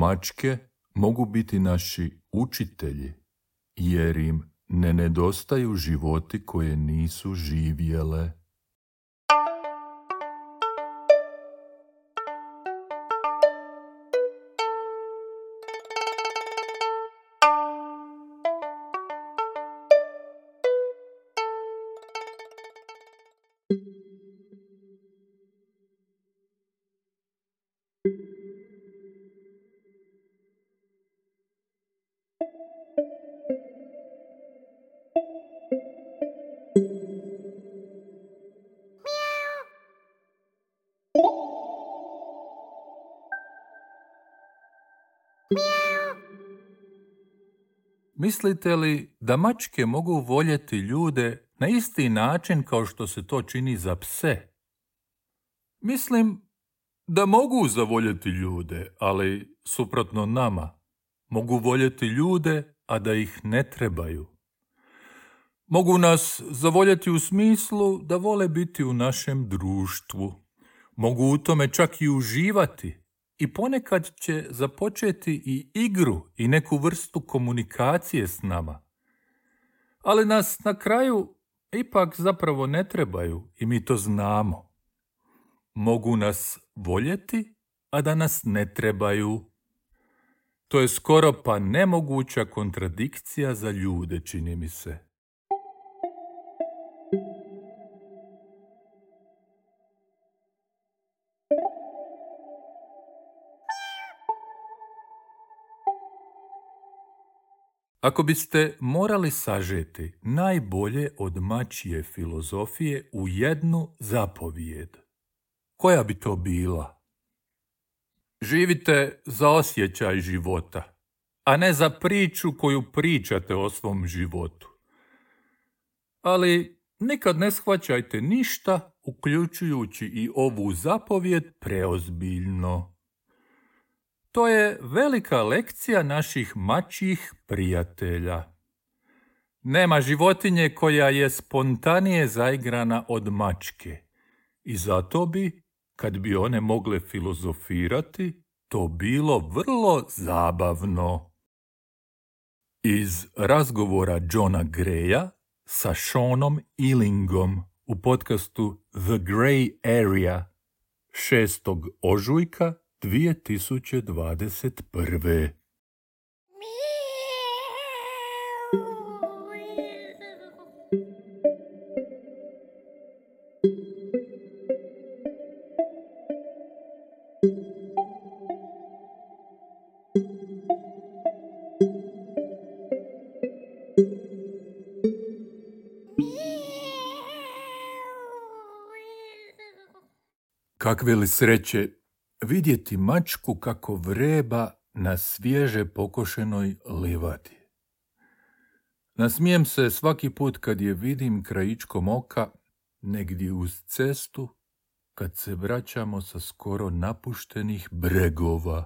Mačke mogu biti naši učitelji, jer im ne nedostaju životi koje nisu živjele. Mislite li da mačke mogu voljeti ljude na isti način kao što se to čini za pse? Mislim da mogu zavoljeti ljude, ali suprotno nama. Mogu voljeti ljude, a da ih ne trebaju. Mogu nas zavoljeti u smislu da vole biti u našem društvu. Mogu u tome čak i uživati. I ponekad će započeti i igru i neku vrstu komunikacije s nama. Ali nas na kraju ipak zapravo ne trebaju i mi to znamo. Mogu nas voljeti, a da nas ne trebaju. To je skoro pa nemoguća kontradikcija za ljude, čini mi se. Ako biste morali sažeti najbolje od mačje filozofije u jednu zapovijed, koja bi to bila? Živite za osjećaj života, a ne za priču koju pričate o svom životu. Ali nikad ne shvaćajte ništa, uključujući i ovu zapovijed, preozbiljno. To je velika lekcija naših mačjih prijatelja. Nema životinje koja je spontanije zaigrana od mačke. I zato bi, kad bi one mogle filozofirati, to bilo vrlo zabavno. Iz razgovora Johna Greya sa Seanom Illingom u podcastu The Grey Area 6. ožujka 2021. Kakve li sreće vidjeti mačku kako vreba na svježe pokošenoj livadi. Nasmijem se svaki put kad je vidim krajičkom oka negdje uz cestu, kad se vraćamo sa skoro napuštenih bregova.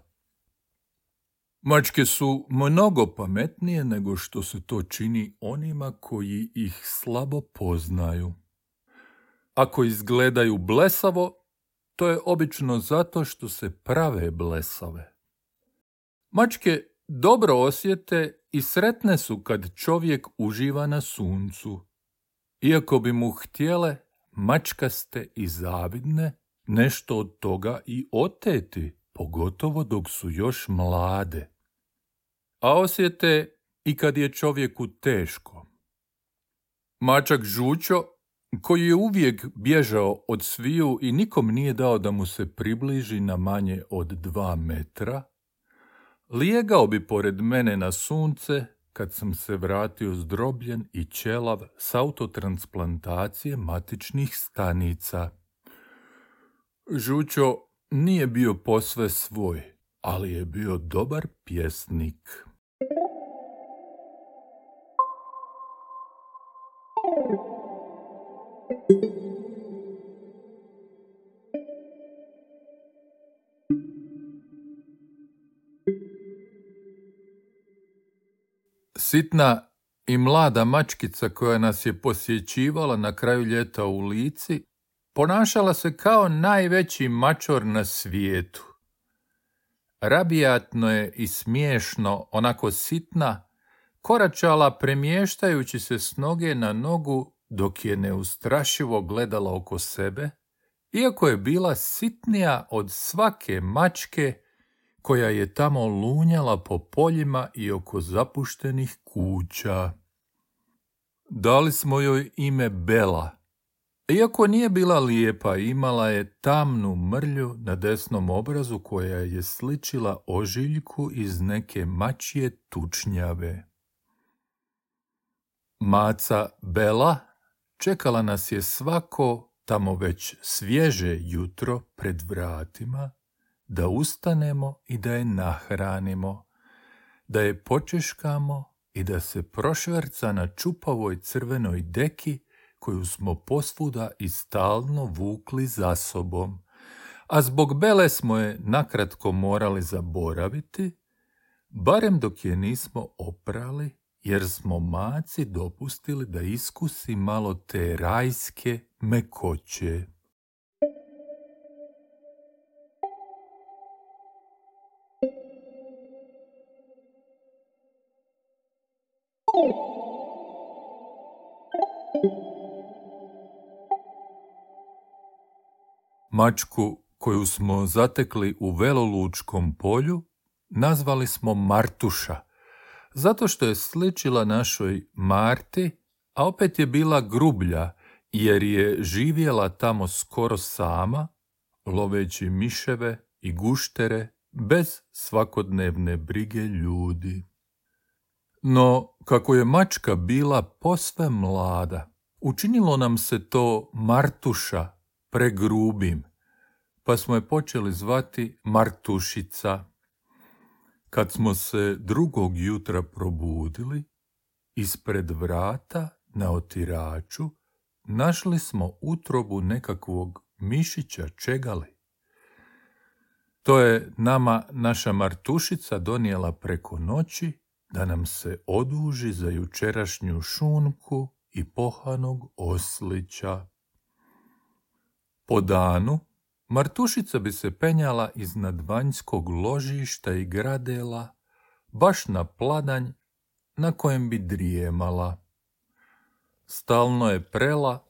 Mačke su mnogo pametnije nego što se to čini onima koji ih slabo poznaju. Ako izgledaju blesavo, to je obično zato što se prave blesave. Mačke dobro osjete i sretne su kad čovjek uživa na suncu. Iako bi mu htjele, mačkaste i zavidne, nešto od toga i oteti, pogotovo dok su još mlade. A osjete i kad je čovjeku teško. Mačak Žučo, koji je uvijek bježao od sviju i nikom nije dao da mu se približi na manje od 2 metra, lijegao bi pored mene na sunce kad sam se vratio zdrobljen i ćelav s autotransplantacije matičnih stanica. Žučo nije bio posve svoj, ali je bio dobar pjesnik. Sitna i mlada mačkica koja nas je posjećivala na kraju ljeta u Lici ponašala se kao najveći mačor na svijetu. rabijatno je i smiješno, onako sitna, koračala premještajući se s noge na nogu dok je neustrašivo gledala oko sebe, iako je bila sitnija od svake mačke koja je tamo lunjala po poljima i oko zapuštenih kuća. Dali smo joj ime Bela. Iako nije bila lijepa, imala je tamnu mrlju na desnom obrazu koja je sličila ožiljku iz neke mačje tučnjave. Maca Bela čekala nas je svako tamo već svježe jutro pred vratima, da ustanemo i da je nahranimo, da je počeškamo i da se prošverca na čupavoj crvenoj deki koju smo posvuda i stalno vukli za sobom, a zbog Bele smo je nakratko morali zaboraviti, barem dok je nismo oprali, jer smo maci dopustili da iskusi malo te rajske mekoće. Mačku koju smo zatekli u Velolučkom polju nazvali smo Martuša, zato što je sličila našoj Marti, a opet je bila grublja, jer je živjela tamo skoro sama, loveći miševe i guštere bez svakodnevne brige ljudi. No, kako je mačka bila posve mlada, učinilo nam se to Martuša pregrubim, pa smo je počeli zvati Martušica. Kad smo se drugog jutra probudili, ispred vrata na otiraču našli smo utrobu nekakvog mišića čegali. To je nama naša Martušica donijela preko noći da nam se oduži za jučerašnju šunku i pohanog oslića. Po danu Martušica bi se penjala iznad vanjskog ložišta i gradela baš na pladanj na kojem bi drijemala. Stalno je prela,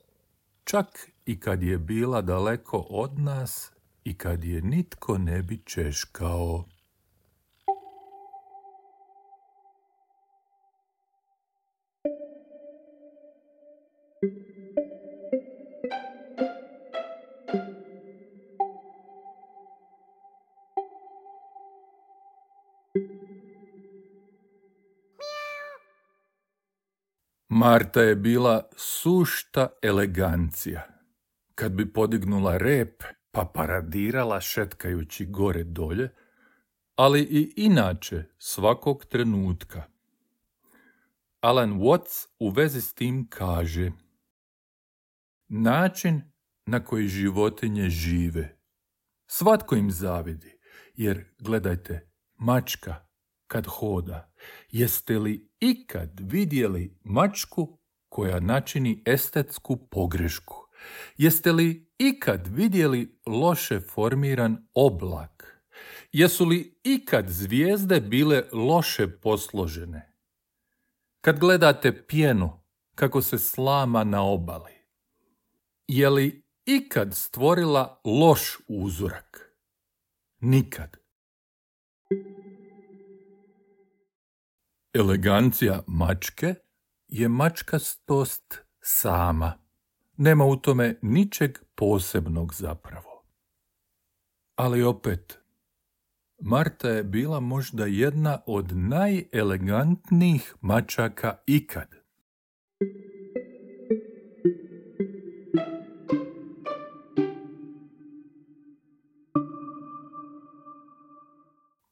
čak i kad je bila daleko od nas i kad je nitko ne bi češkao. Marta je bila sušta elegancija. Kad bi podignula rep pa paradirala šetkajući gore dolje, ali i inače svakog trenutka. Alan Watts u vezi s tim kaže: način na koji životinje žive. Svatko im zavidi, jer gledajte, mačka kad hoda, jeste li ikad vidjeli mačku koja načini estetsku pogrešku? Jeste li ikad vidjeli loše formiran oblak? Jesu li ikad zvijezde bile loše posložene? Kad gledate pjenu kako se slama na obali, je li ikad stvorila loš uzorak? Nikad. Elegancija mačke je mačkastost sama. Nema u tome ničeg posebnog zapravo. Ali opet, Marta je bila možda jedna od najelegantnijih mačaka ikad.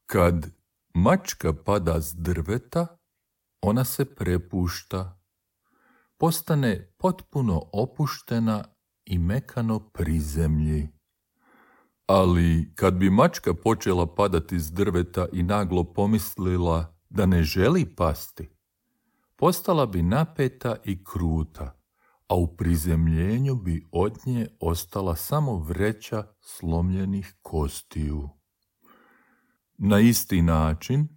Kad mačka pada s drveta, ona se prepušta, postane potpuno opuštena i mekano prizemlji. Ali kad bi mačka počela padati s drveta i naglo pomislila da ne želi pasti, postala bi napeta i kruta, a u prizemljenju bi od nje ostala samo vreća slomljenih kostiju. Na isti način,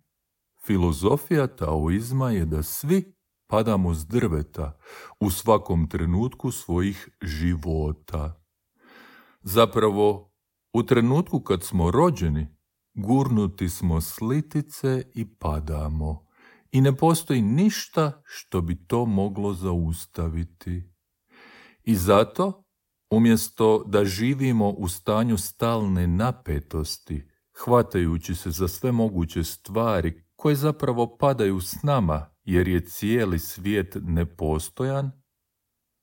filozofija taoizma je da svi padamo s drveta u svakom trenutku svojih života. Zapravo, u trenutku kad smo rođeni, gurnuti smo s litice i padamo. I ne postoji ništa što bi to moglo zaustaviti. I zato, umjesto da živimo u stanju stalne napetosti, hvatajući se za sve moguće stvari koje zapravo padaju s nama jer je cijeli svijet nepostojan,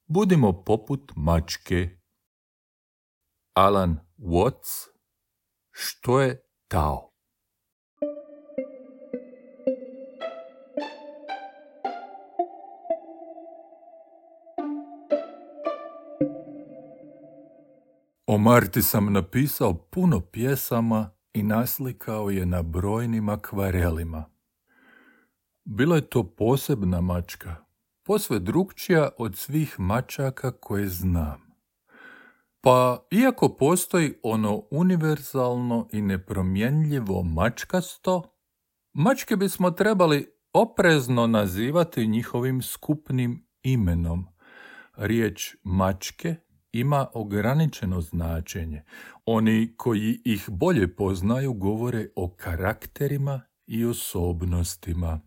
budimo poput mačke. Alan Watts, što je Tao? O Marti sam napisao puno pjesama i naslikao je na brojnim akvarelima. Bila je to posebna mačka, posve drukčija od svih mačaka koje znam. Pa, iako postoji ono univerzalno i nepromjenljivo mačkasto, mačke bismo trebali oprezno nazivati njihovim skupnim imenom. Riječ mačke ima ograničeno značenje. Oni koji ih bolje poznaju govore o karakterima i osobnostima.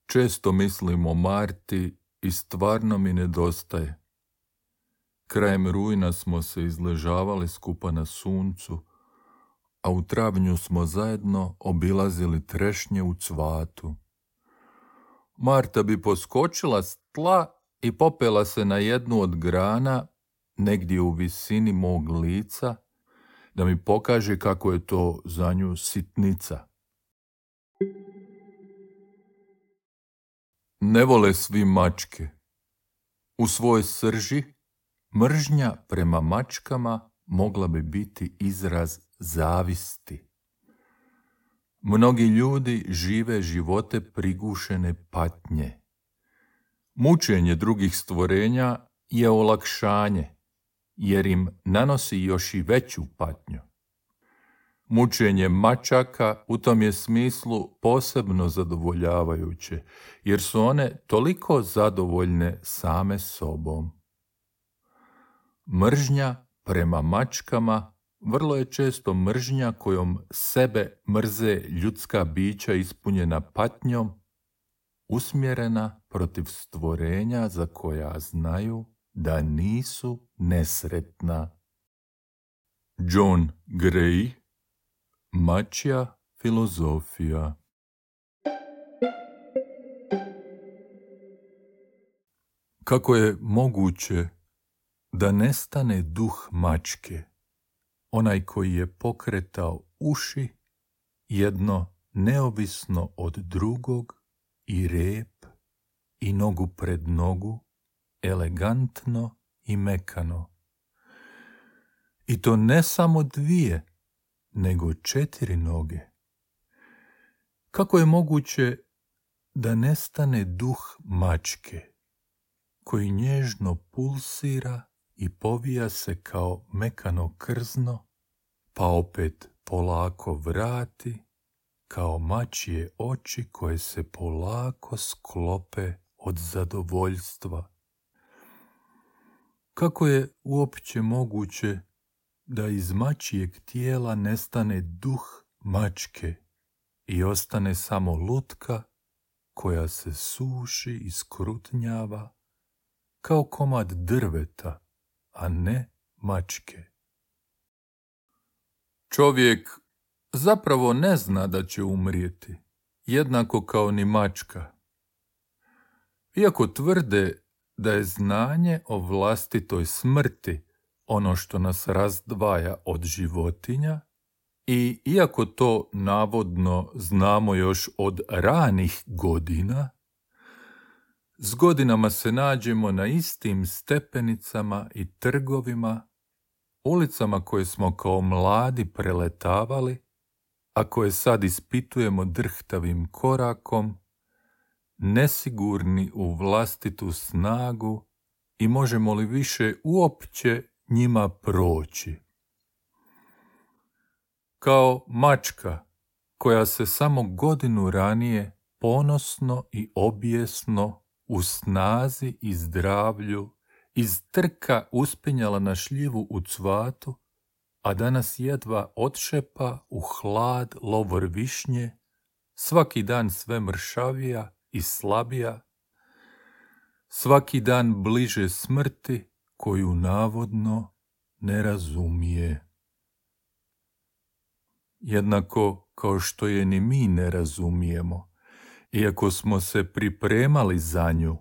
Često mislim o Marti i stvarno mi nedostaje. Krajem rujna smo se izležavali skupa na suncu, a u travnju smo zajedno obilazili trešnje u cvatu. Marta bi poskočila s tla i popela se na jednu od grana, negdje u visini mog lica, da mi pokaže kako je to za nju sitnica. Ne vole svi mačke. U svojoj srži mržnja prema mačkama mogla bi biti izraz zavisti. Mnogi ljudi žive živote prigušene patnje. Mučenje drugih stvorenja je olakšanje, jer im nanosi još i veću patnju. Mučenje mačaka u tom je smislu posebno zadovoljavajuće, jer su one toliko zadovoljne same sobom. Mržnja prema mačkama vrlo je često mržnja kojom sebe mrze ljudska bića ispunjena patnjom, usmjerena protiv stvorenja za koja znaju da nisu nesretna. John Gray, Mačja filozofija. Kako je moguće da nestane duh mačke, onaj koji je pokretao uši, jedno neovisno od drugog, i rep, i nogu pred nogu, elegantno i mekano. I to ne samo 2, nego 4 noge. Kako je moguće da nestane duh mačke, koji nježno pulsira i povija se kao mekano krzno, pa opet polako vrati, kao mačje oči koje se polako sklope od zadovoljstva? Kako je uopće moguće da iz mačjeg tijela nestane duh mačke i ostane samo lutka koja se suši i skrutnjava kao komad drveta, a ne mačke? Čovjek zapravo ne zna da će umrijeti, jednako kao ni mačka. Iako tvrde da je znanje o vlastitoj smrti ono što nas razdvaja od životinja, i iako to navodno znamo još od ranih godina, s godinama se nađemo na istim stepenicama i trgovima, ulicama koje smo kao mladi preletavali, a koje sad ispitujemo drhtavim korakom, nesigurni u vlastitu snagu i možemo li više uopće njima proći. Kao mačka koja se samo godinu ranije ponosno i obijesno u snazi i zdravlju iz trka uspinjala na šljivu u cvatu, a danas jedva odšepa u hlad lovor višnje, svaki dan sve mršavija i slabija, svaki dan bliže smrti koju navodno ne razumije. Jednako kao što je ni mi ne razumijemo, iako smo se pripremali za nju,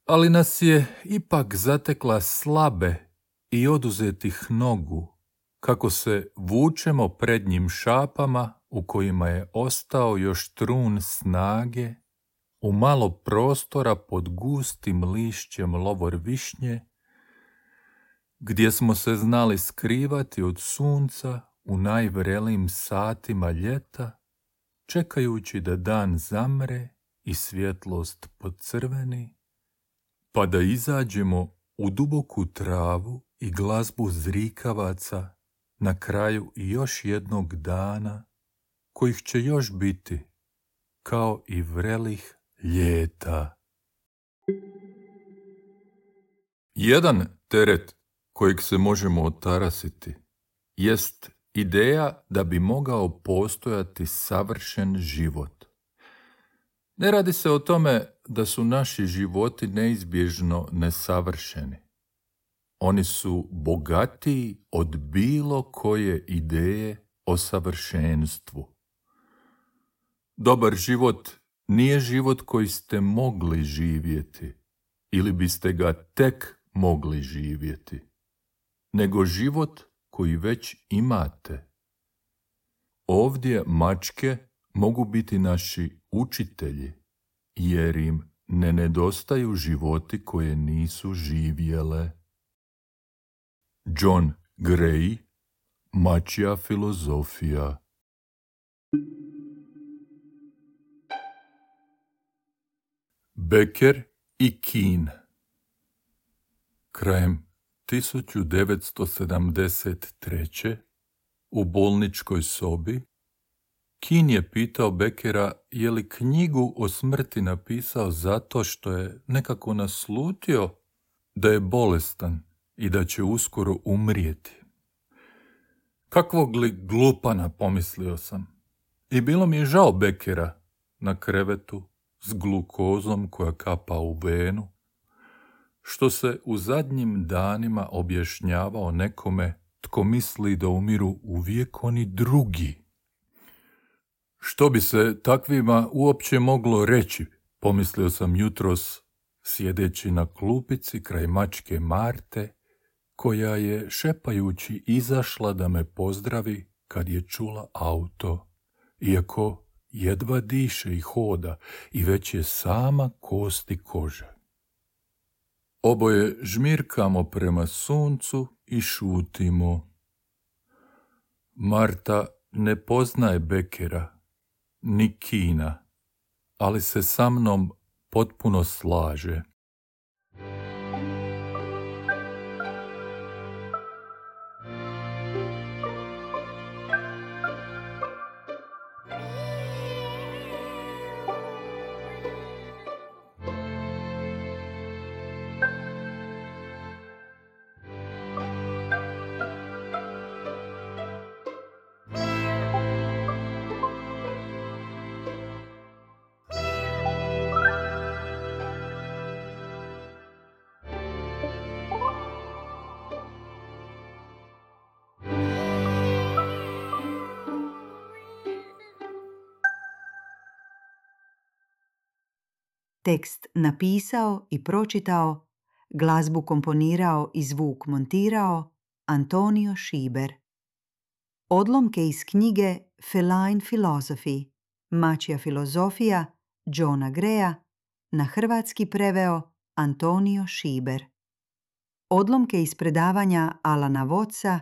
ali nas je ipak zatekla slabe i oduzetih nogu, kako se vučemo prednjim šapama u kojima je ostao još trun snage, u malo prostora pod gustim lišćem lovor višnje, gdje smo se znali skrivati od sunca u najvrelijim satima ljeta, čekajući da dan zamre i svjetlost podcrveni, pa da izađemo u duboku travu i glazbu zrikavaca na kraju i još jednog dana, kojih će još biti, kao i vrelih ljeta. Jedan teret kojeg se možemo otarasiti jest ideja da bi mogao postojati savršen život. Ne radi se o tome da su naši životi neizbježno nesavršeni. Oni su bogatiji od bilo koje ideje o savršenstvu. Dobar život nije život koji ste mogli živjeti ili biste ga tek mogli živjeti, nego život koji već imate. Ovdje mačke mogu biti naši učitelji, jer im ne nedostaju životi koje nisu živjele. John Gray, Mačja filozofija. Becker i Keane. Krajem 1973. u bolničkoj sobi Keane je pitao Beckera je li knjigu o smrti napisao zato što je nekako naslutio da je bolestan i da će uskoro umrijeti. Kakvog li glupana, pomislio sam. I bilo mi je žao Beckera na krevetu s glukozom koja kapa u venu, što se u zadnjim danima objašnjavao nekome tko misli da umiru uvijek oni drugi. Što bi se takvima uopće moglo reći, pomislio sam jutros, sjedeći na klupici kraj mačke Marte, koja je šepajući izašla da me pozdravi kad je čula auto, iako jedva diše i hoda i već je sama kost i koža. Oboje žmirkamo prema suncu i šutimo. Marta ne poznaje Beckera, ni Keana, ali se sa mnom potpuno slaže. Tekst napisao i pročitao, glazbu komponirao i zvuk montirao Antonio Šiber. Odlomke iz knjige Feline Philosophy, Mačja filozofija Johna Graya, na hrvatski preveo Antonio Šiber. Odlomke iz predavanja Alana Wattsa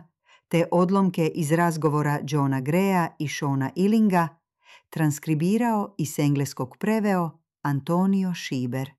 te odlomke iz razgovora Johna Graya i Shona Illinga transkribirao i s engleskog preveo Antonio Šiber.